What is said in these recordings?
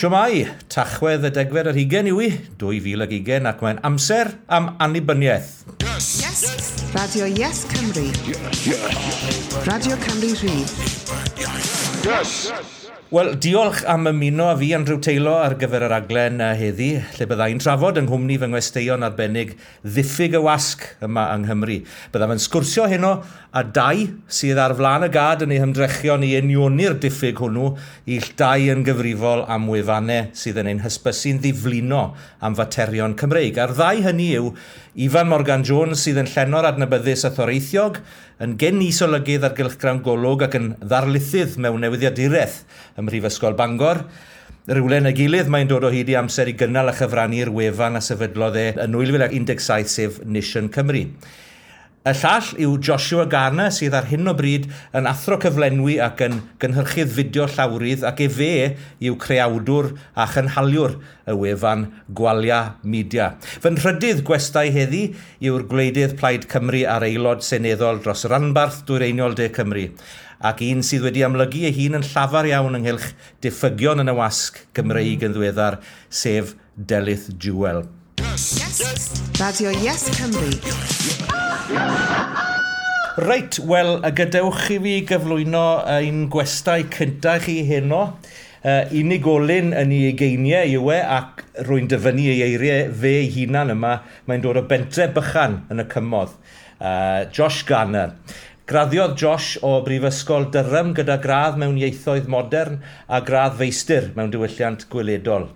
Siwmai, Tachwedd y 20 yw i, 2020, ac mae'n amser am annibyniaeth. Yes! Yes. Radio Yes Cymru. Yes. Yes. Radio Cymru Rhydd. Yes! Wel, diolch am ymuno â fi, Andrew Taylor, ar gyfer yr aglen heddi, lle byddai'n trafod yng nghwmni fy ngwesteion arbennig ddiffyg y wasg yma yng Nghymru. Byddaf yn sgwrsio heno a dau sydd ar flaen y gad yn eu hymdrechion i unioni'r diffyg hwnnw, ill dau yn gyfrifol am wefannau sydd yn ein hysbysu'n ddiflino am faterion Cymreig. A'r ddau hynny yw Ifan Morgan Jones sydd yn llenor adnabyddus a thoreithiog, yn gyn-is-olygydd ar gylchgrawn Golwg ac yn ddarlithydd mewn newyddiaduraeth ym Mhrifysgol Bangor. Rhywle yn y gilydd mae'n dod o hyd i amser i gynnal a chyfrannu'r wefan a sefydlodd e yn 2017, sef Nation Cymru. Y llall yw Joshua Garner, sydd ar hyn o bryd yn athro cyflenwi ac yn gynhyrchydd fideo llawrydd, ac efe yw creawdwr a chynhaliwr y wefan Gwalia Media. Fy nhrydydd gwestai heddi yw'r gwleidydd Plaid Cymru a'r aelod seneddol dros ranbarth dwyreiniol De Cymru, ac un sydd wedi amlygu ei hun yn llafar iawn ynghylch diffygion yn y wasg Gymreig yn ddiweddar, sef Delyth Jewell. Yes. Radio Yes Cymru. Reit, wel, gadewch i fi gyflwyno ein gwestai cyntaf chi heno. Unigolyn yn ei ugeiniau yw e, ac rwy'n dyfynnu ei eiriau fe ei hunan yma. Mae'n dod o bentre bychan yn y cymoedd. Josh Garner. Graddiodd Josh o Brifysgol Durham gyda gradd mewn ieithoedd modern a gradd feistr mewn diwylliant gweledol.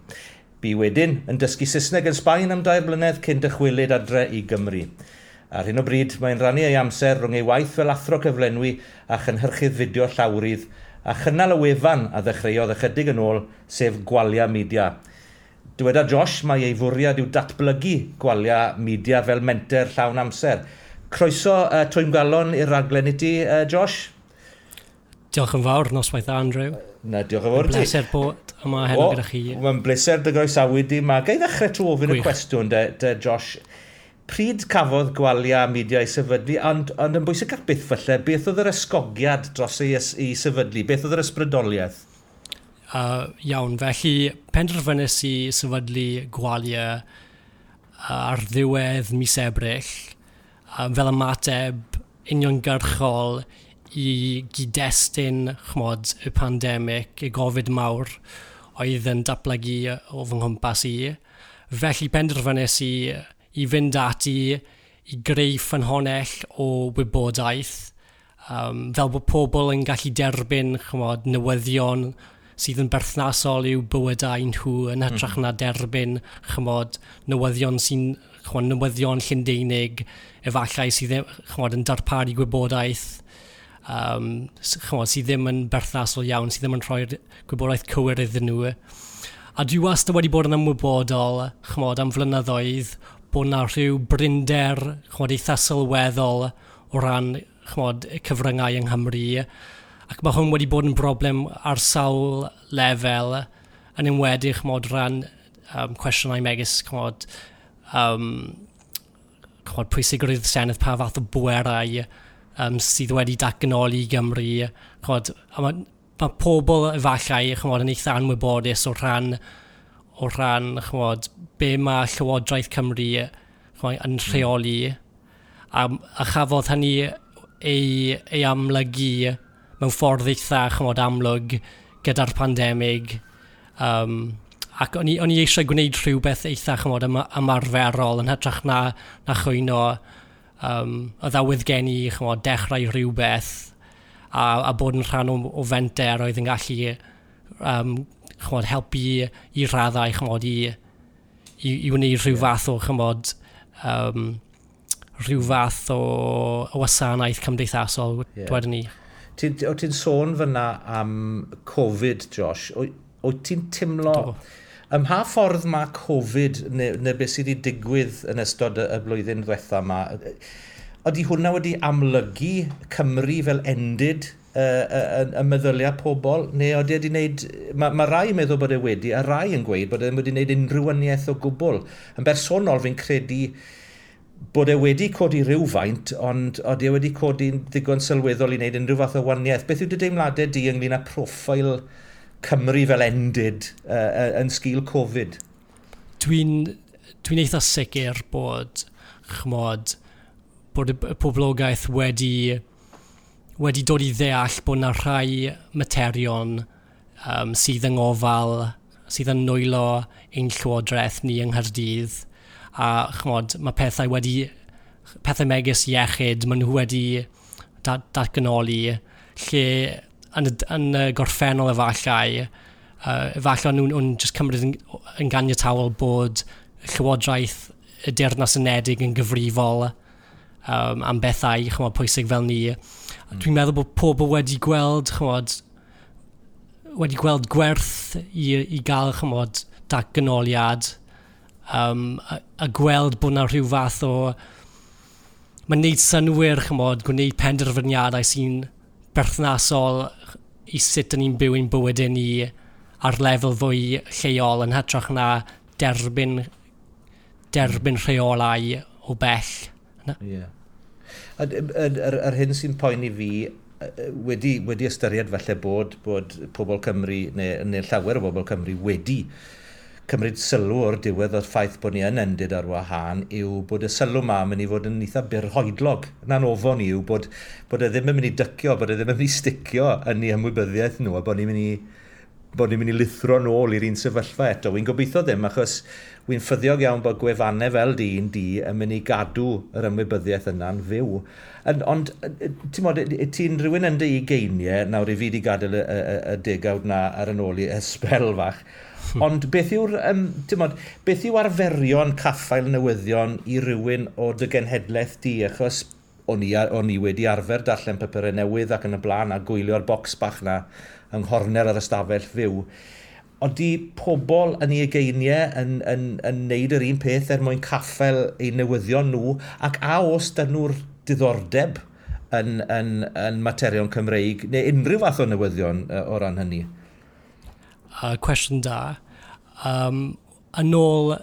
Bu wedyn yn dysgu Saesneg yn Sbaen am 3 blynedd cyn dychwelyd adre i Gymru. Ar hyn o bryd, mae'n rhannu ei amser rhwng ei waith fel athro cyflenwi a chynhyrchydd fideo llawrydd a chynnal y wefan a ddechreuodd ychydig yn ôl, sef Gwalia Media. Dyweda Josh mai ei fwriad yw datblygu Gwalia Media fel menter llawn amser. Croeso twymgalon i'r raglen i ti, Josh. Diolch yn fawr, noswaith dda, Andrew. Na, diolch yn fawr ti. Bleser bod yma heno gyda chi. Mae'n bleser dy groesawu di. Ga i ddechrau trwy ofyn y cwestiwn, de, Josh. Pryd cafodd Gwalia Media ei sefydlu, ond yn bwysicach byth falle, beth oedd yr ysgogiad dros ei sefydlu? Beth oedd yr ysbrydoliaeth? Iawn, felly penderfynais i sefydlu Gwalia ar ddiwedd mis Ebrill, fel ymateb uniongyrchol i gyd-destun, ch'mod, y pandemig, y Covid mawr oedd yn datblygu o fy nghwmpas i. Felly penderfynais i fynd ati i greu ffynhonnell o wybodaeth, fel bod pobl yn gallu derbyn, ch'mod, newyddion sydd yn berthnasol i'w bywydau nhw yn hytrach na derbyn, ch'mod, newyddion sy'n, ch'mod, newyddion Llundeinig, efallai sydd, ch'mod, yn darparu gwybodaeth ch'mod, sydd ddim yn berthnasol iawn, sydd ddim yn rhoi'r gwybodaeth cywir iddyn nhw. A dwi wastad wedi bod yn ymwybodol, ch'mod, am flynyddoedd, bod na rhyw brinder, ch'mod, eitha sylweddol o ran, ch'mod, y cyfryngau yng Nghymru. Ac mae hwn wedi bod yn broblem ar sawl lefel, yn enwedig, ch'mod, ran cwestiynau megis, ch'mod, ch'mod, pwysigrwydd Senedd, pa fath o bwerau sydd wedi datganoli i Gymru. Ch'mod, a mae pobl efallai, ch'mod, yn eitha anwybodus o ran, ch'mod, be mae Llywodraeth Cymru, ch'mod, yn rheoli. A chafodd hynny ei amlygu mewn ffordd eitha, ch'mod, amlwg gyda'r pandemig. Ac o'n i eisiau gwneud rhywbeth eitha, ch'mod, ymarferol yn hytrach na chwyno. Oedd awydd gen i, ch'mod, dechrau rhywbeth a bod yn rhan o fenter oedd yn gallu ch'mod, helpu i raddau, ch'mod, i wneud rhyw fath o, ch'mod, rhyw fath o wasanaeth cymdeithasol, dwedwn ni. O ti'n sôn fyna am Covid, Josh? O ti'n teimlo... Ym mha ffordd mae Covid neu beth sydd wedi digwydd yn ystod y blwyddyn ddiwetha yma, ydy hwnna wedi amlygu Cymru fel endid y meddyliau pobl, neu ydy wedi wneud... Mae rai yn meddwl bod e wedi, a rai yn gweud bod e wedi wneud unrhyw waniaeth o gwbl. Yn bersonol, fi'n credu bod e wedi codi rhywfaint, ond ydy e wedi codi'n ddigon sylweddol i wneud unrhyw fath o waniaeth. Beth yw dy deimladau di ynglyn â proffil Cymru fel endid yn sgil Covid? Dwi'n dwi eitha sicr bod, chmod, bod y poblogaeth wedi dod i ddeall bod yna rhai materion sydd yng ngofal, sydd yn nwylo ein llywodraeth ni yng Nghaerdydd. A chmod, mae pethau megis iechyd, maen nhw wedi datganoli, lle yn y gorffennol efallai nhw'n just cymryd yn ganiataol bod Llywodraeth y Deyrnas Unedig yn gyfrifol am bethau, chymod, pwysig fel ni. Dwi'n meddwl bod pobl wedi gweld, chymod, wedi gweld gwerth i gael, chymod, datganoliad a gweld bod yna rhyw fath o... Mae'n neud synnwyr, chymod, gwneud penderfyniadau sy'n berthnasol i sut dyn ni'n byw ein bywydau ni ar lefel fwy lleol yn hytrach na derbyn rheolau o bell. Ie. Yeah. Yr hyn sy'n poeni fi wedi ystyried falle bod pobl Cymru, neu llawer o bobl Cymru wedi cymryd sylw o'r diwedd o'r ffaith bod ni yn endid ar wahân yw bod y sylw ma yn mynd i fod yn eitha byrhoedlog. Na'n ofon i yw bod e ddim yn mynd i dycio, bod e ddim yn mynd i sticio yn ei ymwybyddiaeth nhw, a bod ni'n mynd i lithro nôl i'r un sefyllfa eto. Wy'n gobeithio ddim, achos wy'n ffyddiog iawn bod gwefannau fel di un di yn mynd i gadw yr ymwybyddiaeth yna'n fyw. Ond, ti'n mod, ti'n rhywun yn dy ugeiniau, nawr i fi wedi gadael y degawd na ar yn ôl i ysbel fach, ond beth yw'r, ti'n mod, beth yw arferion caffael newyddion i rywun o dy genhedlaeth di, achos o'n i wedi arfer darllen papurau newydd ac yn y blaen a gwylio'r bocs bach na yng nghorner yr ystafell fyw. Oeddi pobl yn ei ugeiniau yn neud yr un peth er mwyn caffael eu newyddion nhw, ac a oes 'da nhw'r diddordeb yn materion Cymreig, neu unrhyw fath o newyddion o ran hynny? Cwestiwn da. Yn ôl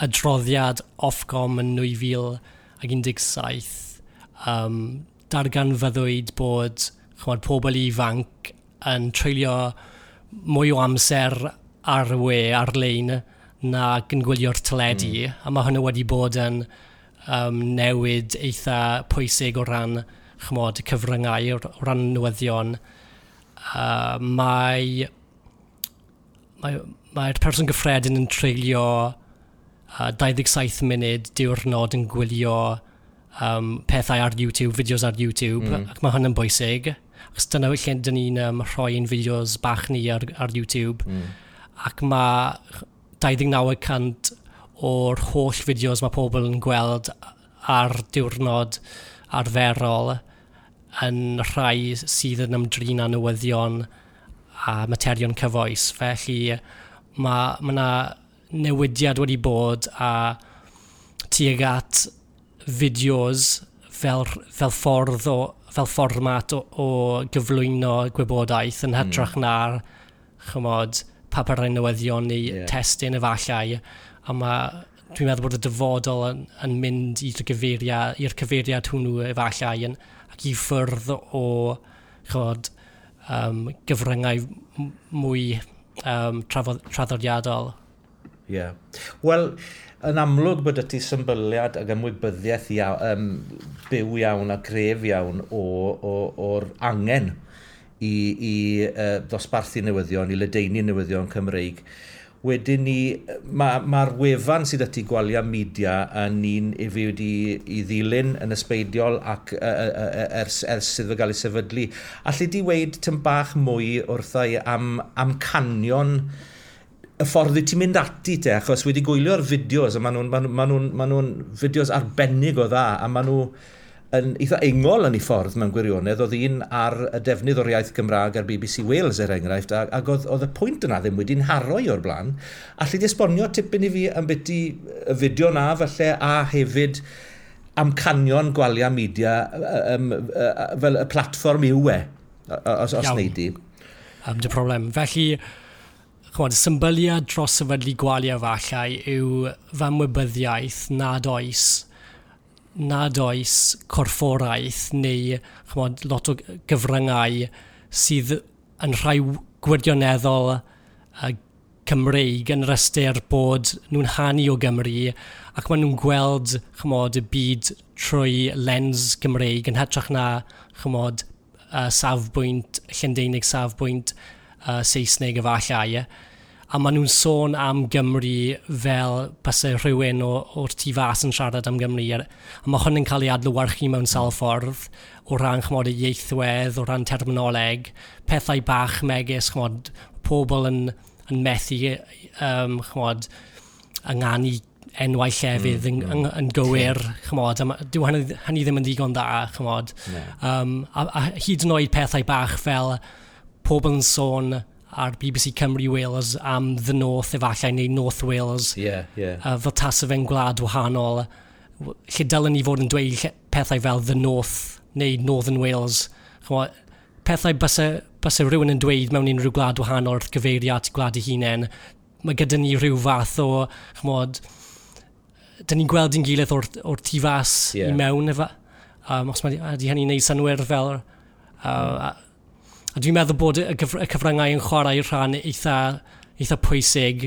adroddiad Ofcom yn 2017, darganfyddwyd bod, chymod, pobl ifanc yn treulio mwy o amser ar y we, ar-lein, na yn gwylio'r teledu. A mae hynny wedi bod yn newid eitha pwysig o ran, chymod, cyfryngau, o ran newyddion. Mae'r person gyffredin yn treulio 27 munud diwrnod yn gwylio pethau ar YouTube, fideos ar YouTube, ac mae hwn yn bwysig. Achos dyna lle dyn ni'n rhoi ein fideos bach ni ar YouTube. Ac mae 29% o'r holl fideos mae pobl yn gweld ar diwrnod arferol yn rhai sydd yn ymdrin â newyddion a materion cyfoes. Felly mae yna newidiad wedi bod a tuag at fideos fel fformat o gyflwyno gwybodaeth yn hytrach na'r, chymod, papurau newyddion neu testun efallai. A dwi'n meddwl bod y dyfodol yn mynd i'r cyfeiriad hwnnw efallai ac i ffwrdd o, chymod, gyfryngau mwy traddodiadol. Ie. Yeah. Wel, yn amlwg bod y ti symbyliad ac ymwybyddiaeth byw iawn a gref iawn o'r angen i ddosbarthu newyddion, i ledaenu newyddion Cymreig. Wedyn ni, mae'r wefan sydd ati Gwalia Media yn un i fi wedi i ddilyn yn ysbeidiol ac ers iddo fe gael ei sefydlu. Alli di weud tym bach mwy wrtha i am amcanion y ffordd i ti'n mynd ati te, achos wedi gwylio'r fideos, a ma nhw fideos arbennig o dda, a maen nhw yn eitha ingol yn ei ffordd mewn gwirionedd. Oedd un ar y defnydd o'r iaith Gymraeg ar BBC Wales, er enghraifft, ac oedd y pwynt yna ddim wedi'n nharo i o'r blaen. Alli di esbonio tipyn i fi am beth i y fideo na, falle, a hefyd amcanion Gwalia Media fel y platfform yw e, os wnei di? Dim problem. Felly, chymod, symbyliad dros sefydlu Gwalia efallai yw fy ymwybyddiaeth nad oes corfforaeth neu, chymod, lot o gyfryngau sydd yn rhoi gwirioneddol Cymreig yn yr ystyr bod nhw'n hanu o Gymru ac maen nhw'n gweld, chymod, y byd trwy lens Gymreig yn hytrach na, chymod, safbwynt Llundeinig, safbwynt Saesneg efallai. A maen nhw'n sôn am Gymru fel byse rhywun o'r tu fas yn siarad am Gymru. A mae hwn yn cael ei adlewyrchu mewn sawl ffordd o ran, chymod, y ieithwedd, o ran terminoleg, pethau bach megis, chymod, pobl yn methu, chymod, ynganu enwau llefydd yn gywir, chymod, a dyw hynny ddim yn ddigon dda, chymod. A hyd yn oed pethau bach fel pobl yn sôn ar BBC Cymru Wales am The North efallai, neu North Wales, fel tasa fe'n gwlad wahanol, lle dylen ni fod yn dweud pethau fel The North neu Northern Wales. Chymod, pethau byse rhywun yn dweud mewn unrhyw gwlad wahanol wrth gyfeirio at gwlad ei hunain, mae gyda ni rhyw fath o, chymod, dyn ni'n gweld ein gilydd o'r tu fas i mewn. Efa, os mae ydy hynny'n neud synnwyr fel... A dwi'n meddwl bod y cyfryngau yn chwarae rhan eitha pwysig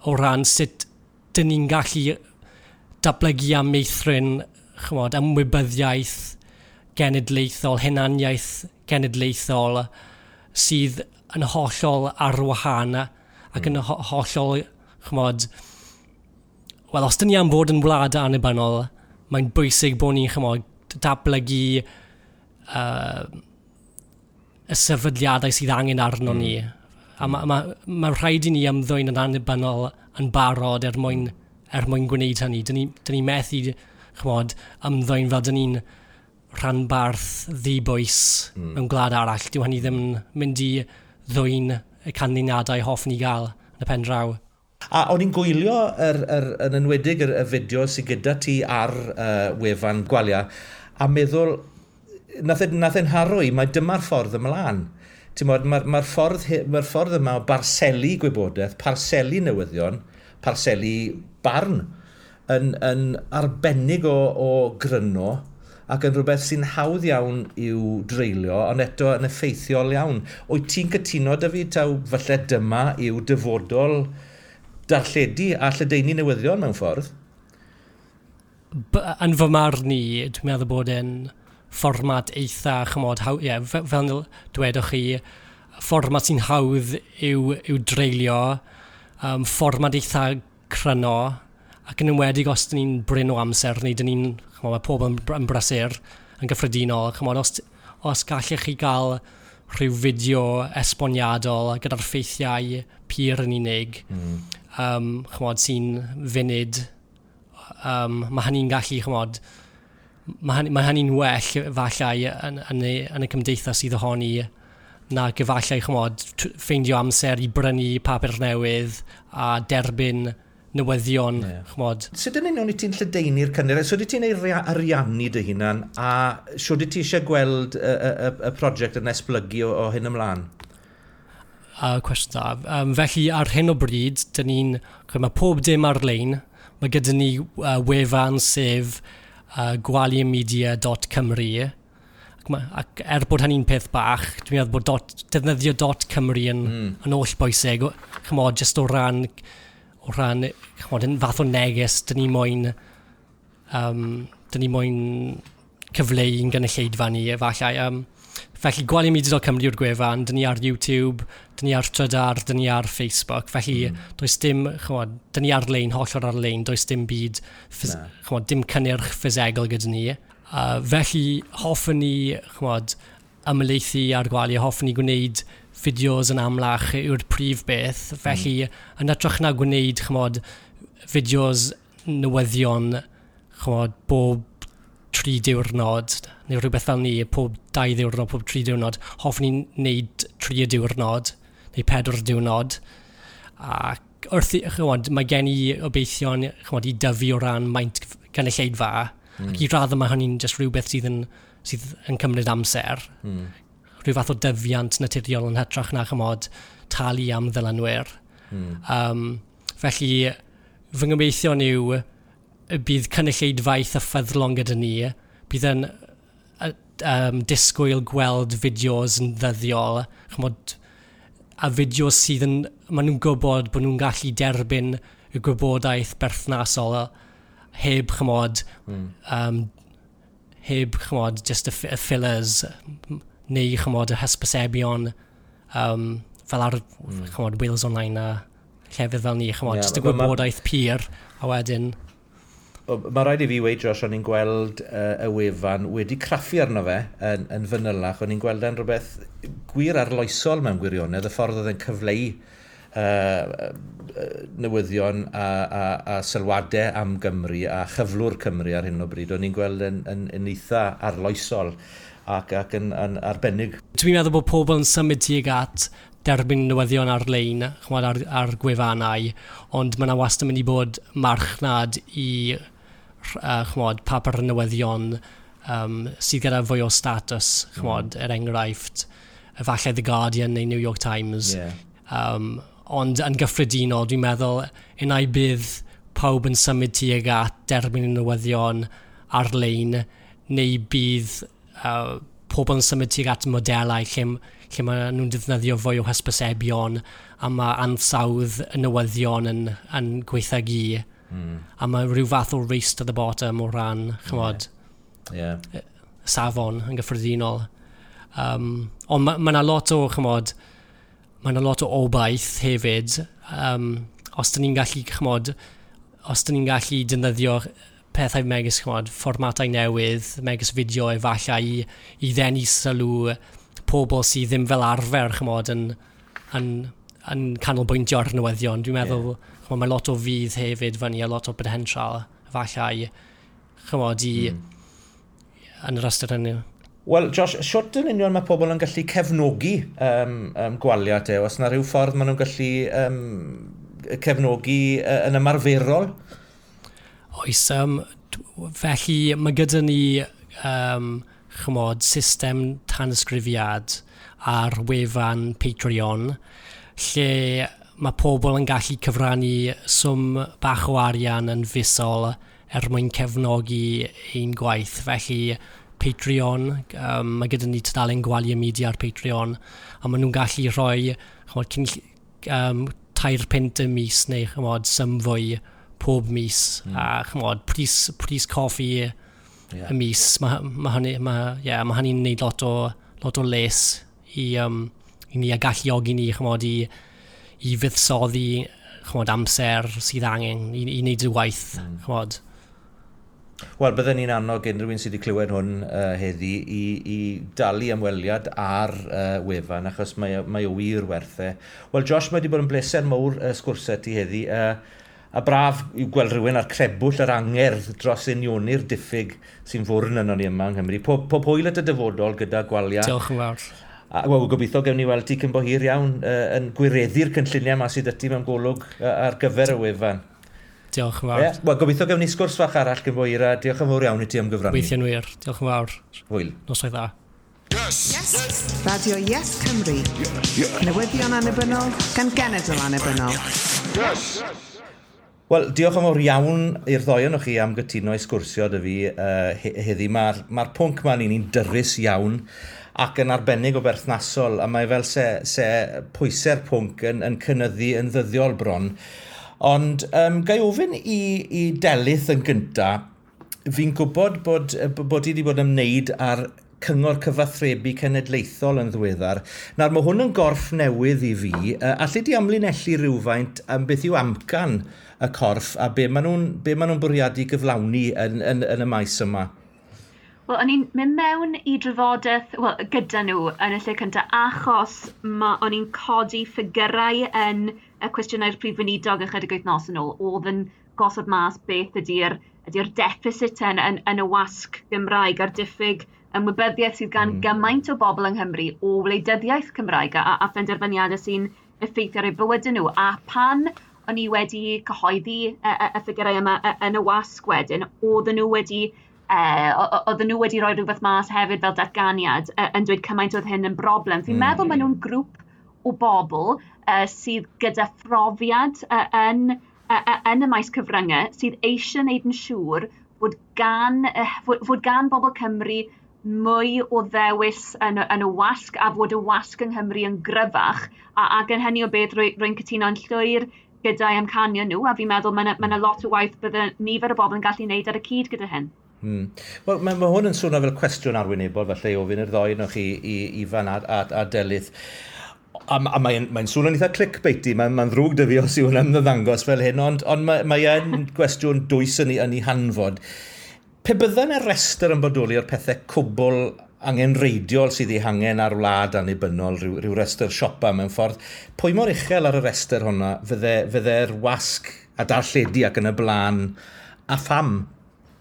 o ran sut dyn ni'n gallu datblygu a meithrin, chymod, ymwybyddiaeth genedlaethol, hunaniaeth genedlaethol sydd yn hollol ar wahân ac yn hollol, chymod, wel, os dyn ni am fod yn wlad annibynnol, mae'n bwysig bod ni'n, chymod, datblygu y sefydliadau sydd angen arno ni. A ma rhaid i ni ymddwyn yn annibynnol yn barod er mwyn gwneud hynny. Dyn ni methu, chymod, ymddwyn fel dyn ni'n rhanbarth ddibwys mewn gwlad arall. Dyw hynny ddim yn mynd i ddwyn y canlyniadau hoffwn ni gael yn y pen draw. A o'n i'n gwylio yn enwedig y fideo sydd gyda ti ar wefan Gwalia a meddwl, nath e'n nharo i, mae dyma'r ffordd ymlaen. Ti'n mae'r ffordd yma o barselu gwybodaeth, parselu newyddion, parselu barn, yn arbennig o gryno ac yn rhywbeth sy'n hawdd iawn i'w dreulio, ond eto yn effeithiol iawn. Wyt ti'n cytuno 'da fi taw falle dyma yw dyfodol darlledu a lledaenu newyddion mewn ffordd? Yn fy marn i, dwi'n meddwl bod e'n fformat eitha, chymod, yeah, fel dwedwch chi, fformat sy'n hawdd i'w dreulio, fformat eitha cryno, ac yn enwedig os dyn ni'n brin o amser, neu dyn ni'n, chymod, mae pobl yn brysur yn gyffredinol, chymod, os gallech chi gael rhyw fideo esboniadol gyda'r ffeithiau pur yn unig, chymod, sy'n funud, mae hynny'n gallu, chymod, mae hynny'n well efallai yn y cymdeithas sydd ohoni na efallai, chymod, ffeindio amser i brynu papur newydd a derbyn newyddion, chymod. Sut yn union i ti'n lledaenu'r cynnyrch? Sut wyt ti'n ei ariannu dy hunan a sut wyt ti eisiau gweld y prosiect yn esblygu o hyn ymlaen? Cwestiwn da. Felly ar hyn o bryd, dyn ni'n, mae pob dim ar-lein. Mae gyda ni wefan sef gwaliamedia.cymru. Ac er bod hynny'n peth bach, dwi'n meddwl bod defnyddio .cymru yn holl bwysig. Chymod, just o ran, chymod, yn fath o neges, dyn ni moyn cyfleu i'n gynulleidfa ni, efallai. Felly, gwaliamedia.cymru yw'r gwefan, dyn ni ar YouTube, dyn ni ar Trydar, dyn ni ar Facebook. Felly, does dim, chymod, dyn ni ar-lein, hollol ar-lein, does dim byd, chymod, dim cynnyrch ffisegol gyda ni. Felly, hoffwn ni, chymod, ymhelaethu ar Gwalia, hoffwn ni gwneud fideos yn amlach yw'r prif beth. Felly, yn hytrach na gwneud, chymod, fideos newyddion, chymod, bob 3 diwrnod, neu rhywbeth fel ni, pob 2 ddiwrnod, pob 3 diwrnod, hoffwn ni wneud 3 diwrnod, neu 4 diwrnod. Ac wrth, chymod, mae gen i obeithion, chymod, i dyfu o ran maint gynulleidfa, ac i raddau mae hynny'n just rhywbeth sydd yn cymryd amser. Rhyw fath o dyfiant naturiol yn hytrach na, chymod, talu am ddilynwyr. Felly, fy ngobeithion yw y bydd cynulleidfa eitha ffyddlon gyda ni, bydd yn disgwyl gweld fideos yn ddyddiol, chymod, A fideo sydd yn, maen nhw'n gwybod bod nhw'n gallu derbyn y gwybodaeth berthnasol heb, chymod, heb, chymod, just y fillers neu, chymod, y hysbysebion fel ar, chymod, Wales Online a llefydd fel ni, chymod, just y gwybodaeth pur, a wedyn. Mae rhaid i fi weud, Josh, o'n i'n gweld y wefan wedi craffu arno fe yn fanylach. O'n i'n gweld e'n rhywbeth gwir arloesol mewn gwirionedd, y ffordd oedd e'n cyfleu newyddion a sylwadau am Gymru a chyflwr Cymru ar hyn o bryd. O'n i'n gweld yn eitha arloesol ac yn arbennig. Dwi'n meddwl bod pobl yn symud tuag at derbyn newyddion ar-lein, chymod, ar gwefannau, ond mae yna wastad yn mynd i bod marchnad i chymod, papur newyddion sydd gyda fwy o status, chymod, er enghraifft, efallai The Guardian neu New York Times. Ond yn gyffredinol, dwi'n meddwl, unai bydd pawb yn symud tuag at derbyn y newyddion ar-lein, neu bydd pobl yn symud tuag at modelau lle maen nhw'n defnyddio fwy o hysbysebion a mae ansawdd y newyddion yn gwaethygu. A mae rhyw fath o race to the bottom o ran, chymod, safon yn gyffredinol. Ond mae yna lot o, chymod, mae yna lot o obaith hefyd. Os dyn ni'n gallu, chymod, os dyn ni'n gallu defnyddio pethau megis, chymod, fformatau newydd, megis fideo efallai i ddenu sylw pobl sydd ddim fel arfer, chymod, yn canolbwyntio ar newyddion. Dwi'n meddwl, chymod, mae lot o fudd hefyd fyny a lot o potensial efallai, chymod, i yn yr ystyr hynny. Wel, Josh, siwt yn union mae pobl yn gallu cefnogi Gwalia te? Oes 'na rhyw ffordd maen nhw'n gallu cefnogi yn ymarferol? Oes, felly mae gyda ni chymod, system tanysgrifiad ar wefan Patreon, lle mae pobl yn gallu cyfrannu swm bach o arian yn fisol er mwyn cefnogi ein gwaith. Felly Patreon, mae gyda ni tudalen Gwalia Media ar Patreon, a maen nhw'n gallu rhoi, chymod, 3 punt y mis neu, chymod, sym fwy pob mis, a chymod, pris coffi y mis, mae hynny'n neud lot o les i ni a galluogi ni, chymod, i fuddsoddi, chymod, amser sydd angen i wneud y waith, chymod. Wel, bydden ni'n annog unrhyw un sydd wedi clywed hwn heddi i dalu ymweliad ar wefan, achos mae o wir werth e. Wel, Josh, mae wedi bod yn bleser mawr sgwrsio ti heddi. A braf i gweld rhywun ar crebwll yr angerdd dros unioni'r diffyg sy'n fwrn yno ni yma yng Nghymru. Pob hwyl at y dyfodol gyda Gwalia. Diolch yn fawr. A wel, gobeithio gewn ni weld ti cyn bo hir iawn yn gwireddu'r cynlluniau yma sydd 'da ti mewn golwg ar gyfer y wefan. Diolch yn fawr. Yeah. Wel, gobeithio gewn ni sgwrs fach arall cyn bo hir a diolch yn fawr iawn i ti am gyfrannu. Weithio'n wir. Diolch yn fawr. Hwyl. Noswaith dda. Yes. Yes. Radio Yes Cymru. Newyddion annibynnol gan genedl annibynnol. Yes. Wel, diolch yn fawr iawn i'r ddoi ohonoch chi am gytuno i sgwrsio 'da fi heddi. Mae'r pwnc ma'n un i'n dyrys iawn ac yn arbennig o berthnasol, a mae fel se pwysau'r pwnc yn cynyddu yn ddyddiol bron. Ond gai ofyn i Delyth yn gynta, fi'n gwybod bod i wedi bod yn ymwneud â'r Cyngor Cyfathrebu Cenedlaethol yn ddiweddar. Nawr, mae hwn yn gorff newydd i fi. Allu di amlinellu rhywfaint am beth yw amcan y corff a be maen nhw'n bwriadu gyflawni yn y maes yma? Wel, o'n i'n mynd mewn i drafodaeth, wel, gyda nhw yn y lle cyntaf, achos o'n i'n codi ffigurau yn y cwestiynau'r Prif Weinidog ychydig wythnos yn ôl, oedd yn gosod mas beth ydy'r deficit yn y wasg Gymraeg a'r diffyg ymwybyddiaeth sydd gan gymaint o bobl yng Nghymru o wleidyddiaeth Cymraeg a phenderfyniadau sy'n effeithio ar eu bywydau nhw. A pan o'n i wedi cyhoeddi y ffigurau yma yn y wasg wedyn, oedden nhw wedi rhoi rhywbeth mas hefyd fel datganiad yn dweud cymaint oedd hyn yn broblem. Fi'n meddwl maen nhw'n grŵp o bobl sydd gyda phrofiad yn y maes cyfryngau sydd eisiau gwneud yn siŵr fod gan bobl Cymru mwy o ddewis yn y wasg a fod y wasg yng Nghymru yn gryfach, ac yn hynny o beth rwy'n cytuno'n llwyr gyda'i amcanion nhw, a fi'n meddwl mae yna lot o waith bydde nifer o bobl yn gallu wneud ar y cyd gyda hyn. Wel, mae hwn yn swnio fel cwestiwn arwynebol, falle i ofyn i'r ddoi ohonoch chi, i Ifan a Delyth. A mae'n swnio'n eitha clickbaity, mae'n ddrwg 'da fi os yw hwn ymddangos fel hyn, ond mae e'n gwestiwn dwys yn ei hanfod. Pe bydde yna restr yn bodoli o'r pethau cwbl angenreidiol sydd ei hangen ar wlad annibynnol, rhyw restr siopa mewn ffordd, pwy mor uchel ar y restr hwnna fydde'r wasg a darlledu ac yn y blaen, a pham?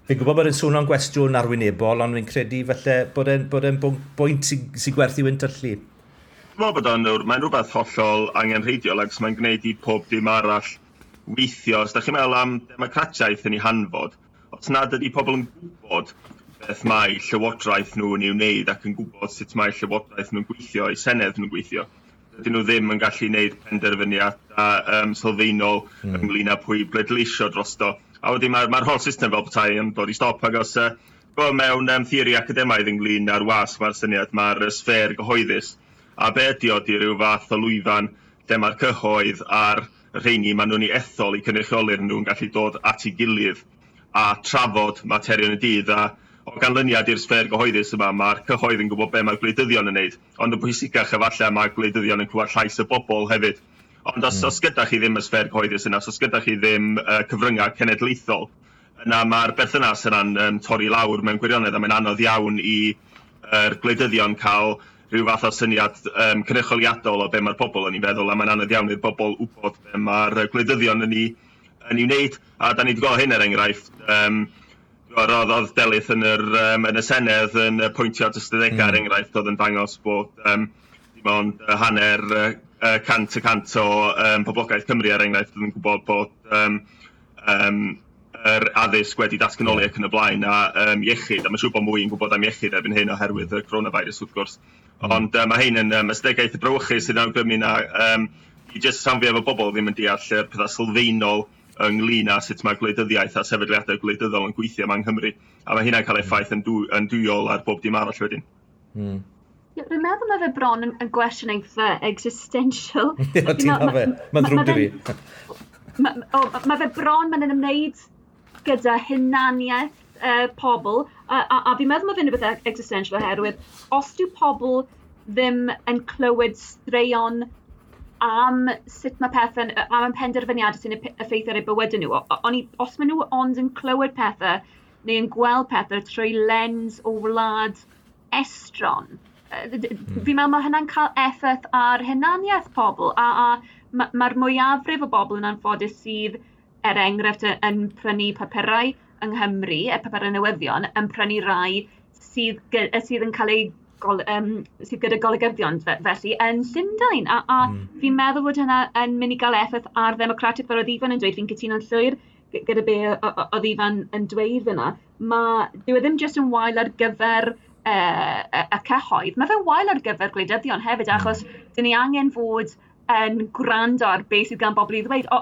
Fi'n gwybod bod e'n swnio'n gwestiwn arwynebol, ond fi'n credu falle bod e'n bwynt sy gwerth i wyntyllu. Dwi'n meddwl bod o'n, mae'n rhywbeth hollol angenrheidiol ac mae'n gwneud i pob dim arall weithio. Os da chi'n meddwl am democratiaeth yn ei hanfod, os nad ydy pobl yn gwybod beth mae llywodraeth nhw'n ei wneud ac yn gwybod sut mae llywodraeth nhw'n gweithio, eu senedd nhw'n gweithio, dydyn nhw ddim yn gallu gwneud penderfyniadau sylfaenol ynglyn â pwy bleidleisio drosto. A wedyn mae'r holl system fel petai yn dod i stop, ac os mewn theori academaidd ynglyn â'r wasg, mae'r syniad mae'r sffêr gyhoeddus. A be ydy o, di ryw fath o lwyfan lle mae'r cyhoedd a'r rheini maen nhw'n ei ethol i cynrychioli'r nhw'n gallu dod at ei gilydd a trafod materion y dydd, a o ganlyniad i'r sffêr gyhoeddus yma, mae'r cyhoedd yn gwybod be mae'r gwleidyddion yn neud. Ond yn pwysicach efallai, mae gwleidyddion yn clywed llais y bobl hefyd. Ond os gyda chi ddim y sffêr gyhoeddus yna, os gyda chi ddim cyfryngau cenedlaethol, yna mae'r berthynas yna'n torri lawr mewn gwirionedd, a mae'n anodd iawn i yr gwleidyddion cael rhyw fath o syniad cynrychioliadol o be mae'r bobl yn ei feddwl, a mae'n anodd iawn i'r bobl wybod be mae'r gwleidyddion yn ei wneud. A da ni wedi gweld hyn, er enghraifft, oedd Delyth yn y Senedd yn pwyntio at ystadegau, er enghraifft, oedd yn dangos bod dim ond hanner 100% o poblogaeth Cymru, er enghraifft, oedd yn gwybod bod yr addysg wedi datganoli ac yn y blaen, a iechyd, a mae'n siŵr bod mwy yn gwybod am iechyd erbyn hyn oherwydd y coronavirus, wrth gwrs. Ond mae hyn yn ystadegau eitha brawychus sydd yn awgrymu na i jyst rhan fwyaf o bobl ddim yn deall yr pethau sylfaenol ynglyn â sut mae gwleidyddiaeth a sefydliadau gwleidyddol yn gweithio yma yng Nghymru. A mae hynna'n cael effaith yn dwyol ar bob dim arall wedyn. Ie, rwy'n meddwl mae fe bron yn gwestiwn eitha existential. Ie, ti'n fe. Mae'n ddrwg 'da fi. Mae fe bron, mae'n ymwneud gyda hunaniaeth pobl, a fi'n meddwl mae fe'n rhywbeth existential oherwydd os dyw pobl ddim yn clywed straeon am sut mae pethau, am y penderfyniadau sy'n effeithio ar eu bywydau nhw, os maen nhw ond yn clywed pethau neu yn gweld pethau trwy lens o wlad estron, fi'n meddwl mae hynna'n cael effaith ar hunaniaeth pobl, a mae'r mwyafrif o bobl yn anffodus sydd, er enghraifft, yn prynu papurau yng Nghymru, y papurau newyddion, yn prynu rai sydd yn cael ei sydd gyda golygyddion felly yn Llundain. A fi'n meddwl bod hynna yn mynd i gael effaith ar ddemocratiaeth, fel oedd Ifan yn dweud, fi'n cytuno'n llwyr gyda be oedd Ifan yn dweud fyna. Dyw e ddim jyst yn wael ar gyfer y cyhoedd, mae fe'n wael ar gyfer gwleidyddion hefyd, achos dyn ni angen fod yn gwrando ar beth sydd gan bobl i ddweud. O,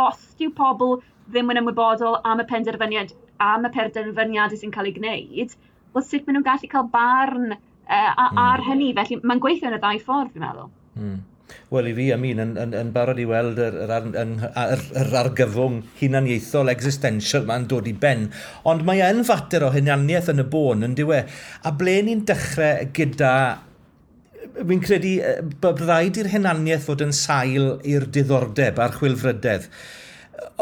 os dyw pobl ddim yn ymwybodol am y penderfyniadau sy'n cael ei gwneud, wel, sut maen nhw'n gallu cael barn ar hynny? Felly mae'n gweithio yn y ddau ffordd, fi'n meddwl. Wel, i fi, I mean, yn barod i weld yr argyfwng hunaniaethol existential ma'n dod i ben. Ond mae yn fater o hunaniaeth yn y bôn, yn dyw e? A ble ni'n dechrau gyda... Fi'n credu bod rhaid i'r hunaniaeth fod yn sail i'r diddordeb a'r chwilfrydedd.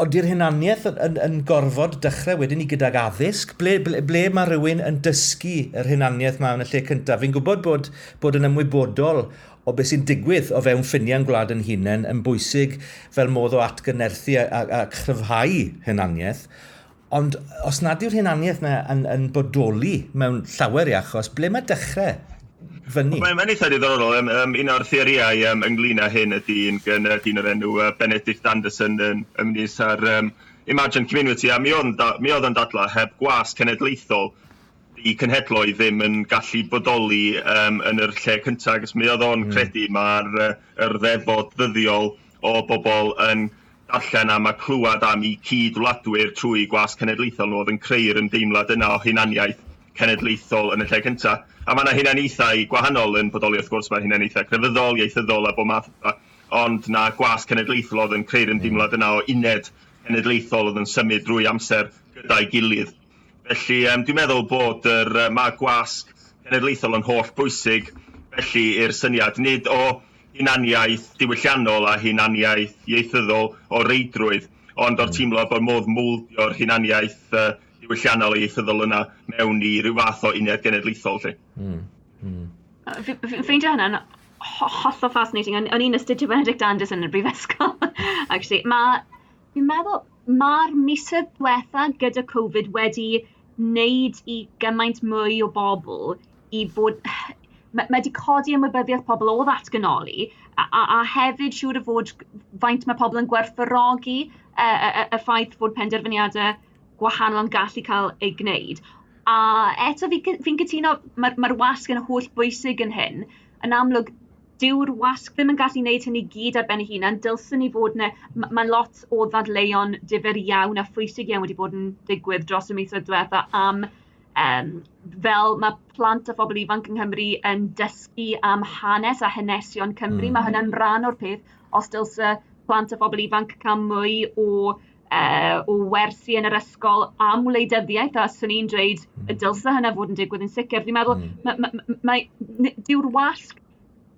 Ond i'r hunaniaeth yn gorfod dechrau wedyn ni gydag addysg, ble mae rhywun yn dysgu yr hunaniaeth ma yn y lle cyntaf? Fi'n gwybod bod yn ymwybodol o beth sy'n digwydd o fewn ffiniau'n gwlad yn hunain yn bwysig fel modd o atgyfnerthu a chryfhau hunaniaeth. Ond os nad yw'r hunaniaeth yna yn bodoli mewn llawer i achos, ble mae dechrau fyny? Mae'n eitha diddorol. Un o'r theorïau ynglyn â hyn ydy un gan dyn o'r enw Benedict Anderson yn ymwneud â'r Imagined Community, a mi oedd yn dadlau heb gwasg cenedlaethol i cenhedloedd ddim yn gallu bodoli yn yr lle cyntaf, achos mi oedd o'n credu mae'r yr ddefod ddyddiol o bobl yn darllen am a clywed am eu cyd-wladwyr trwy gwasg cenedlaethol nhw oedd yn creu'r ymdeimlad yna o hunaniaeth. cenedlaethol yn y lle cyntaf. A mae yna hunaniaethau gwahanol yn bodoli, wrth gwrs, mae hunaniaethau crefyddol, ieithyddol a bob math, ond na gwasg cenedlaethol oedd yn creu'r ymdeimlad yna o uned cenedlaethol oedd yn symud drwy amser gyda'i gilydd. Felly dwi'n meddwl bod mae gwasg cenedlaethol yn holl bwysig felly i'r syniad, nid o hunaniaeth diwylliannol a hunaniaeth ieithyddol o reidrwydd, ond o'r teimlo bod modd mowldio'r hunaniaeth diwylliannol a ieithyddol yna mewn i ryw fath o uned genedlaethol. Lle. Fi'n ffeindio hynna'n hollol fascinating. O'n i'n astudio Benedict Anderson yn y brifysgol, actually. Fi'n meddwl, mae'r misoedd diwetha gyda Covid wedi wneud i gymaint mwy o bobl i fod. Mae wedi codi ymwybyddiaeth pobl o ddatganoli a hefyd siŵr o fod faint mae pobl yn gwerthfawrogi y ffaith fod penderfyniadau gwahanol yn gallu cael ei gwneud. A eto fi cytuno, mae'r wasg yn holl bwysig yn hyn. Yn amlwg, dyw'r wasg ddim yn gallu gwneud hynny gyd ar ben ei hunan. Dylswn ni fod yna, mae lot o ddadleuon difyr iawn a phwysig iawn wedi bod yn digwydd dros y misoedd diwetha am fel mae plant a phobl ifanc yng Nghymru yn dysgu am hanes a hanesion Cymru. Mae hynna'n rhan o'r peth. Os dylse plant a phobl ifanc cael mwy o wersi yn yr ysgol am wleidyddiaeth, a swn i'n dweud y dylse hynna fod yn digwydd yn sicr. Fi'n meddwl, dyw'r wasg,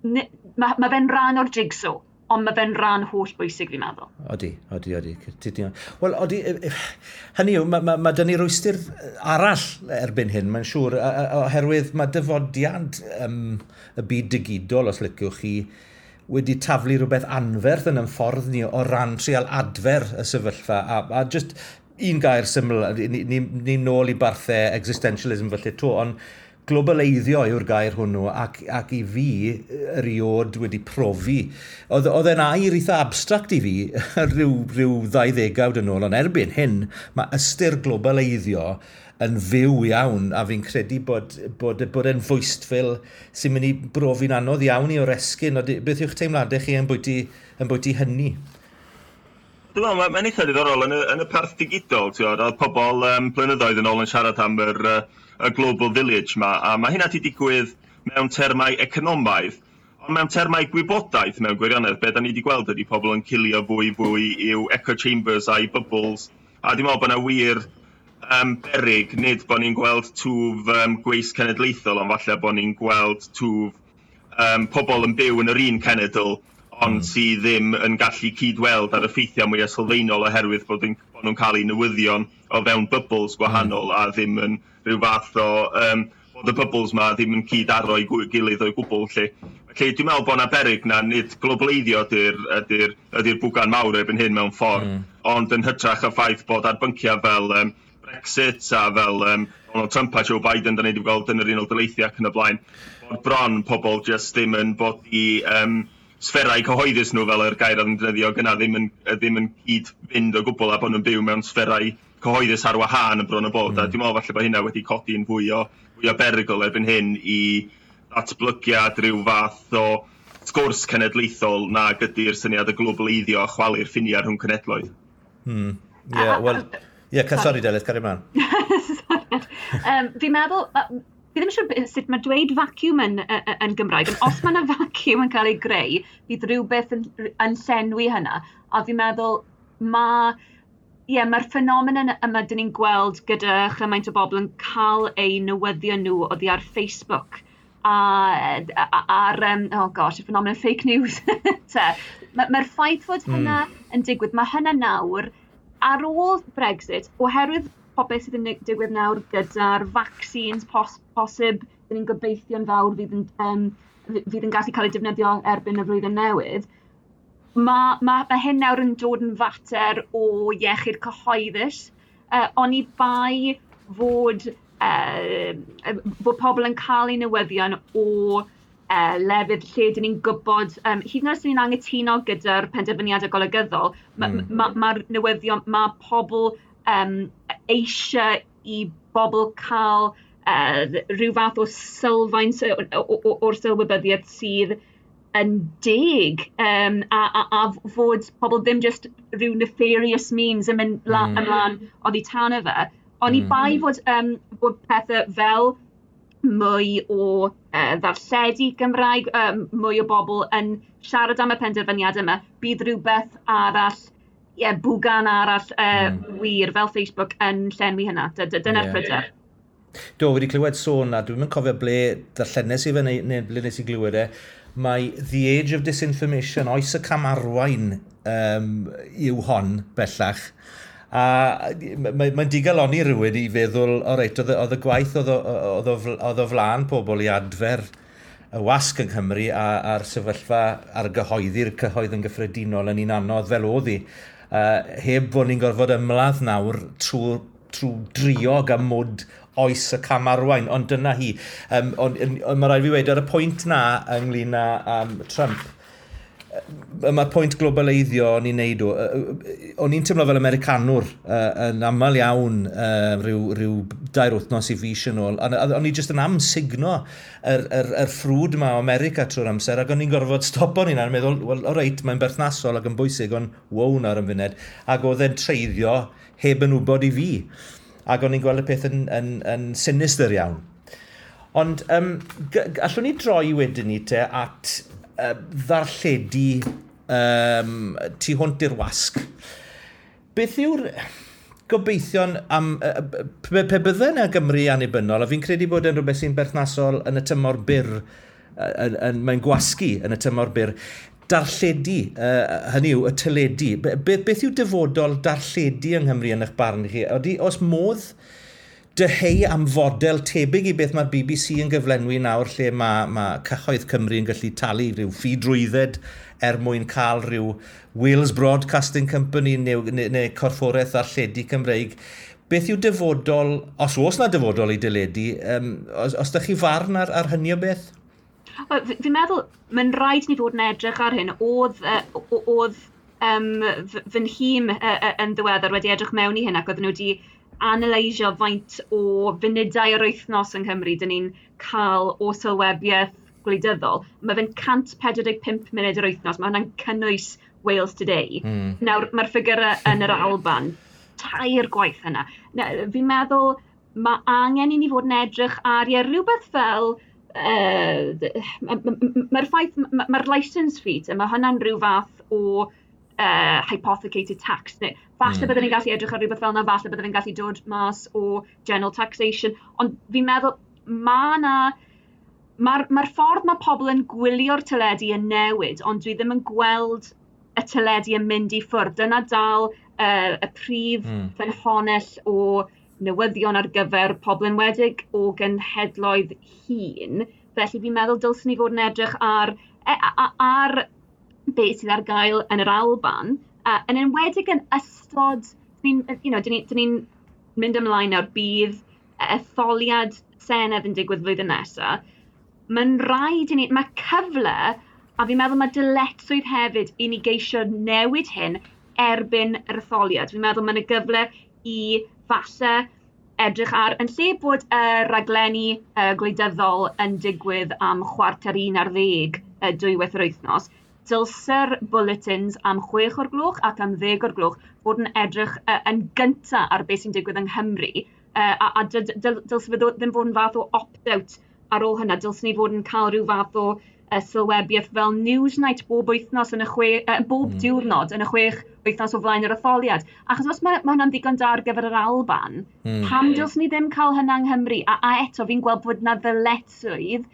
ma fe'n rhan o'r jigsaw, ond mae fe'n rhan holl bwysig, fi'n meddwl. Odi. Wel, odi, hynny yw, mae dyn ni rwystr arall erbyn hyn, mae'n siŵr, oherwydd mae dyfodiad y byd digidol, os liciwch chi, wedi taflu rhywbeth anferth yn ein ffordd ni o ran trial adfer y sefyllfa. A just un gair syml, ni nôl i barthau existentialism felly to, ond globaleiddio yw'r gair hwnnw ac i fi eriod wedi profi. Oedd e'n air eitha abstract i fi rhyw 2 ddegawd yn ôl, ond erbyn hyn mae ystyr globaleiddio yn fyw iawn a fi'n credu bod e'n fwystfil sy'n mynd i brofi'n anodd iawn i oresgyn. Beth yw'ch teimladau chi yn bwyty hynny? Dwi'n meddwl, mae'n eitha diddorol yn y parth digidol, ti'n gwbod, oedd pobl blynyddoedd yn ôl yn siarad am y Global Village ma, a mae hynna wedi digwydd mewn termau economaidd, ond mewn termau gwybodaeth mewn gwirionedd, be da ni wedi gweld ydy pobl yn cilio fwy fwy i'w echo chambers a'i bubbles, a dwi'n meddwl bod yna wir berig, nid bod ni'n gweld twf gweisg cenedlaethol, ond falle bod ni'n gweld twf pobl yn byw yn yr un cenedl, ond sydd ddim yn gallu cydweld ar y ffeithiau mwyaf sylfaenol oherwydd bod nhw'n cael eu newyddion o fewn bubbles gwahanol a ddim yn rhyw fath o bod y bubbles ma ddim yn cyd-aro i gilydd o'i gwbl. Lle. Felly dwi'n meddwl bod yna berig na nid globaleiddio ydy'r bwgan mawr erbyn hyn mewn ffordd, ond yn hytrach y ffaith bod ar bynciau fel Brexit a fel Donald Trump a Joe Biden, da ni wedi gweld yn yr Unol Daleithiau ac yn y blaen, bod bron pobl just ddim yn bod i sfferau cyhoeddus nhw, fel yr gair oedd yn defnyddio gyna, ddim yn cyd-fynd o gwbl a bod nhw'n byw mewn sfferau cyhoeddus ar wahân yn bron o bod. A dwi'n meddwl falle bod hynna wedi codi'n fwy o berygl erbyn hyn i ddatblygiad rhyw fath o sgwrs cenedlaethol nag ydy'r syniad o globaleiddio a chwalu'r ffiniau rhwng cenedloedd. Yeah, well, yeah, sorry Delyth, cario ymlaen. Sorry. Fi'n meddwl, fi ddim yn siŵr sut mae dweud vacuum yn Gymraeg, ond os mae yna vacuum yn cael ei greu, bydd rhywbeth yn llenwi hynna. A fi'n meddwl, ie, mae'r ffenomen yma dyn ni'n gweld gyda chymaint o bobl yn cael eu newyddion nhw oddi ar Facebook a ar, oh gosh, y ffenomen fake news. Mae'r ffaith fod hynna yn digwydd, mae hynna nawr, ar ôl Brexit, oherwydd popeth sydd yn digwydd nawr gyda'r vaccines posib, dyn ni'n gobeithio'n fawr fydd yn gallu cael ei defnyddio erbyn y flwyddyn newydd, mae hyn nawr yn dod yn fater o iechyd cyhoeddus, oni bai fod pobl yn cael eu newyddion o lefydd lle dyn ni'n gwybod, hyd yn oed os ni'n anghytuno gyda'r penderfyniadau golygyddol, mae'r ma newyddion, mae pobl eisiau i bobl cael rhyw fath o sylfaen o'r sylwybyddiaeth sydd yn deg a fod pobl ddim just rhyw nefarious means yn mynd ymlaen oddi tano fe. Ond i bai bod pethau fel mwy o ddarlledu Gymraeg, mwy o bobl yn siarad am y penderfyniad yma, bydd rhywbeth arall, ie, bwgan arall wir fel Facebook yn llenwi hynna. Dyna'r pryder. Do, wedi clywed sôn, a dwi'n cofio ble darllenes i fe neu ble nes i glywed e, mae The Age of Disinformation, oes y camarwain yw hon bellach. A mae'n digalonni rhywun i feddwl, o reit, oedd y gwaith oedd o flaen pobl i adfer y wasg yng Nghymru a'r sefyllfa ar gyhoeddi'r cyhoedd yn gyffredinol yn un anodd fel oedd hi. Heb fod ni'n gorfod ymladd nawr trwy driog a mwd oes y camarwain, ond dyna hi. Ond mae rhaid fi wedi ar y pwynt na ynglyn â Trump, mae'r pwynt globaleiddio o'n i'n neud o, o'n i'n teimlo fel Americanwr yn aml iawn rhyw 2 wythnos i fis yn ôl. O'n i jyst yn amsugno yr ffrwd yma o America trwy'r amser, ac o'n i'n gorfod stopo ni'n meddwl, wel, o reit, mae'n berthnasol ac yn bwysig, ond wow nawr yn funed, ac oedd e'n treiddio heb yn wybod i fi. Ac o'n i'n gweld y peth yn sinister iawn. Ond allwn ni droi wedyn ni te at ddarlledu tu hwnt i'r wasg. Beth yw'r gobeithion am pe bydde yna Gymru annibynnol, a fi'n credu bod yn rhywbeth sy'n berthnasol yn y tymor byr, mae'n gwasgu yn y tymor byr, darlledu, hynny yw, y teledu. Beth yw dyfodol darlledu yng Nghymru yn eich barn chi? Ydy, oes modd dyheu am fodel tebyg i beth mae'r BBC yn gyflenwi nawr, lle mae cyhoedd Cymru yn gallu talu rhyw ffi drwydded er mwyn cael rhyw Wales Broadcasting Company neu corfforaeth darlledu Cymreig. Beth yw dyfodol, os oes na dyfodol i deledu, os ydych chi farn ar hynny o beth? Fi'n meddwl, mae'n rhaid ni fod yn edrych ar hyn. Oedd fy nhîm yn ddiweddar wedi edrych mewn i hyn, ac oedden nhw wedi analysio faint o funudau yr wythnos yng Nghymru dyn ni'n cael o sylwebiaeth gwleidyddol. Mae fe'n 145 munud yr wythnos, mae hwnna'n cynnwys Wales Today. Nawr, mae'r ffigurau yn yr Alban, 3 gwaith yna. Fi'n meddwl mae angen i ni fod yn edrych ar rhywbeth fel mae'r ffaith, mae'r licence fee, mae hwnna'n rhyw fath o hypothecated tax. Neu, falle byddwn ni'n gallu edrych ar rhywbeth fel yna, falle byddwn ni'n gallu dod mas o general taxation, ond fi'n meddwl mae'r ffordd mae pobl yn gwylio'r teledu yn newid, ond dwi ddim yn gweld y teledu yn mynd i ffwrdd. Dyna dal y prif ffynhonnell o newyddion ar gyfer pobl enwedig o genhedloedd hŷn. Felly fi'n meddwl dylswn ni fod yn edrych ar beth sydd ar gael yn yr Alban, yn enwedig yn ystod, dyn ni'n mynd ymlaen nawr, bydd etholiad Senedd yn digwydd flwyddyn nesaf. Mae'n rhaid i ni, mae cyfle, a fi'n meddwl mae dyletswydd hefyd i ni geisio newid hyn erbyn yr etholiad. Fi'n meddwl mae'n y gyfle i falle edrych ar, yn lle bod y raglenni gwleidyddol yn digwydd am 10:15 dwywaith yr wythnos, dylse'r bulletins am 6:00 ac am 10:00 fod yn edrych yn gynta ar beth sy'n digwydd yng Nghymru, a dylse fe ddim fod yn fath o opt-out ar ôl hynna. Dylse ni fod yn cael rhyw fath o sylwebiaeth fel Newsnight bob wythnos yn y bob diwrnod yn y 6 wythnos o flaen yr etholiad. Achos os mae hwnna'n ddigon da ar gyfer yr Alban, pam dylse ni ddim cael hynna yng Nghymru? A eto, fi'n gweld bod na ddyletswydd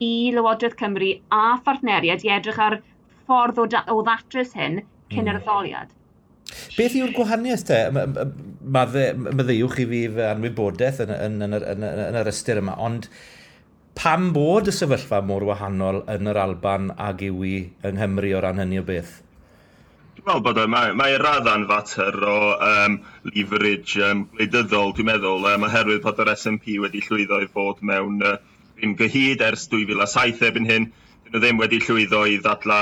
i Lywodraeth Cymru a phartneriaid i edrych ar ffordd o ddatrys hyn cyn yr etholiad. Beth yw'r gwahaniaeth te? Maddeuwch i fi fy anwybodaeth yn yr ystyr yma, ond pam bod y sefyllfa mor wahanol yn yr Alban ag yw i yng Nghymru o ran hynny o beth? Dwi'n meddwl bod mae radda'n fater o leverage gwleidyddol, dwi'n meddwl, oherwydd bod yr SNP wedi llwyddo i fod mewn grym gyhyd ers 2007 erbyn hyn. Dyn nhw ddim wedi llwyddo i ddadla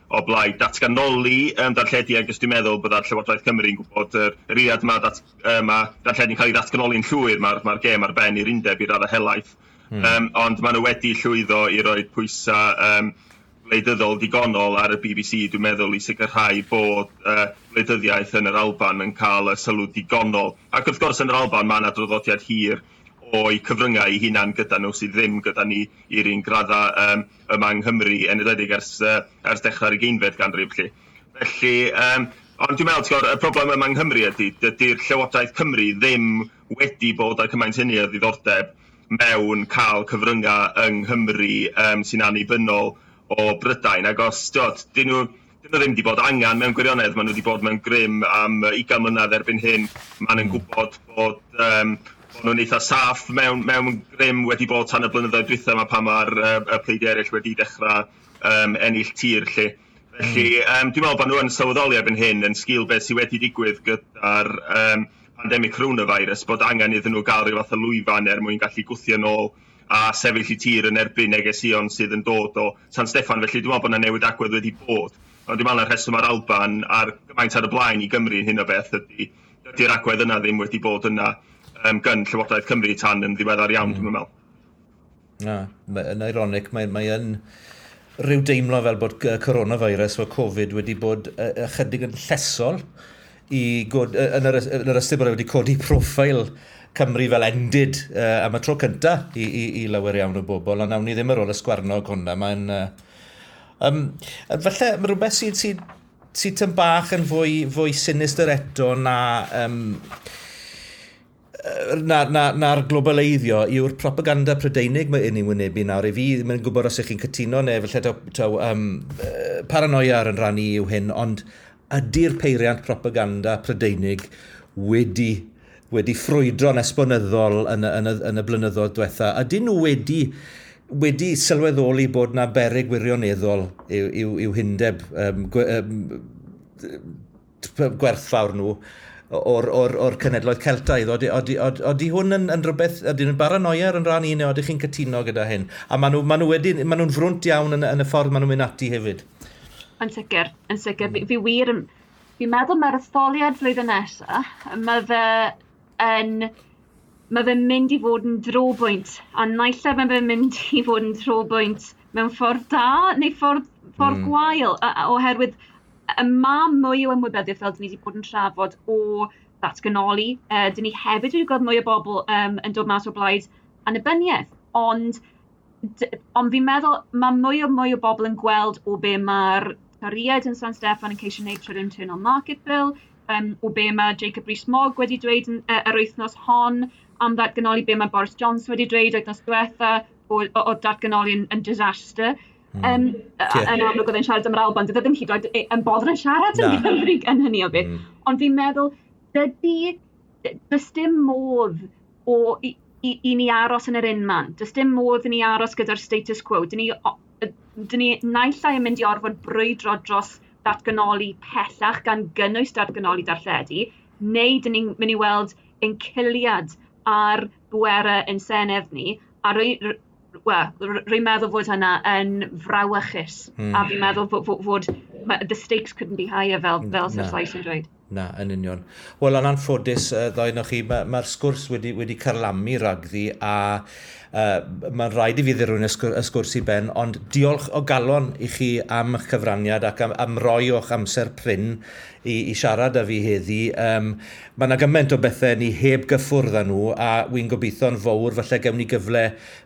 o blaid datganoli darlledu, ac dwi'n meddwl bod Llywodraeth Cymru yn gwybod yr eiliad mae darlledu'n cael ei ddatganoli'n llwyr, mae'r gêm ar ben i'r undeb i raddau helaeth. Ond maen nhw wedi llwyddo i roi pwysau gwleidyddol digonol ar y BBC, dwi'n meddwl, i sicrhau bod gwleidyddiaeth yn yr Alban yn cael y sylw digonol. Ac wrth gwrs yn yr Alban mae yna draddodiad hir o'i cyfryngau eu hunan gyda nhw sydd ddim gyda ni i'r un gradda yma yng Nghymru, yn enwedig ers dechrau'r 20fed ganrif. Felly. Felly, ond dwi'n meddwl, ti'n gwbod, y broblem yma yng Nghymru ydy, dydy'r Llywodraeth Cymru ddim wedi bod â cymaint hynny o ddiddordeb mewn cael cyfryngau yng Nghymru sy'n annibynnol o Brydain. Ac os, ti'n dyn nhw ddim wedi bod angen mewn gwirionedd, maen nhw wedi bod mewn grym am 20 mlynedd erbyn hyn. Maen nhw'n gwybod bod nhw'n eitha saff mewn grym wedi bod tan y blynyddoedd dwytha yma pan mae'r y pleidiau eraill wedi dechrau ennill tir. Lle. Felly, dwi'n meddwl bod nhw yn sylweddoli erbyn hyn yn sgil beth sydd wedi digwydd gyda'r pandemig coronavirus, bod angen iddyn nhw gael rhyw fath o lwyfan er mwyn gallu gwthio nôl a sefyll i tir yn erbyn negeseuon sydd yn dod o San Steffan. Felly dwi'n meddwl bod yna newid agwedd wedi bod. Ond dwi'n meddwl na'r rheswm ar Alban ar gymaint ar y blaen i Gymru yn hyn o beth ydy, dydy'r agwedd yna ddim wedi bod yna gyn Llywodraeth Cymru tan yn ddiweddar iawn, dwi'n meddwl. Na, yn ironic, mae yn rhyw deimlo fel bod coronavirus o Covid wedi bod ychydig yn llesol i god, yn yr ystyr bod e wedi codi proffeil Cymru fel endid am y tro cynta i lawer iawn o bobl, ond nawn ni ddim ar ôl y sgwarnog hwnna. Mae'n... Falle mae rhywbeth sydd tyn bach yn fwy sinister eto na'r globaleiddio yw'r propaganda Prydeinig mae un i'n wynebu nawr. I fi ddim yn gwybod os ych chi'n cytuno neu falle taw paranoia ar yn rhan i yw hyn, ond ydy'r peiriant propaganda Prydeinig wedi ffrwydro'n esbonyddol yn y blynyddoedd diwetha? Ydyn nhw wedi sylweddoli bod na beryg wirioneddol i'w hundeb gwerthfawr nhw o'r cenedloedd Celtaidd? Odi hwn yn rhywbeth, ydy nhw'n baranoia ar yn rhan i neu ydych chi'n cytuno gyda hyn? A maen nhw'n frwnt iawn yn y ffordd maen nhw'n mynd ati hefyd. Yn sicr, yn sicr. Fi wir yn... Fi'n meddwl mae'r etholiad flwyddyn nesaf, mae fe'n mynd i fod yn drobwynt, a naill ai mae fe'n mynd i fod yn drobwynt mewn ffordd da neu ffordd gwael, oherwydd y mae mwy o ymwybyddiaeth, fel dyn ni wedi bod yn trafod, o ddatganoli. Dyn ni hefyd wedi gweld mwy o bobl yn dod mas o blaid annibyniaeth, ond fi'n meddwl mae mwy o mwy o bobl yn gweld o be mae'r Torïaid yn San Steffan yn ceisio gwneud trwy'r Internal Market Bill, o be mae Jacob Rees-Mogg wedi dweud yr wythnos hon am ddatganoli, be mae Boris Johnson wedi dweud wythnos diwetha o datganoli yn disaster. Yn amlwg oedd e'n siarad am yr Alban, dydy e ddim hyd yn oed yn boddran siarad yn Gymru yn hynny o beth. Ond fi'n meddwl, does dim modd i ni aros yn yr unman. Does dim modd i ni aros gyda'r status quo. Dyn ni naill ai yn mynd i orfod brwydro dros ddatganoli pellach gan gynnwys datganoli darlledu, neu dyn ni'n mynd i weld enciliad ar bwerau yn Senedd ni, a wel, rwy'n meddwl fod hynna yn frawychus. A fi'n meddwl fod the stakes couldn't be higher, fel Sir Sais yn dweud. Na, yn union. Wel, yn anffodus, ddoi chi, mae'r sgwrs wedi carlamu ragddi a mae'n rhaid i fi ddirwyn y sgwrs i ben, ond diolch o galon i chi am eich cyfraniad ac am roi o'ch amser prin i siarad â fi heddi. Mae yna gymaint o bethau ni heb gyffwrdd â nhw a wy'n gobeithio'n fawr falle gewn ni gyfle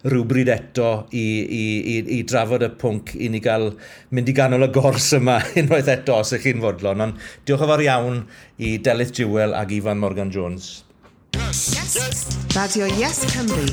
rhywbryd eto i drafod y pwnc i ni gael mynd i ganol y gors yma unwaith eto os ych chi'n fodlon. Ond diolch yn fawr iawn i Delyth Jewell ac Ifan Morgan Jones. Yes. Yes. Radio Yes Cymru.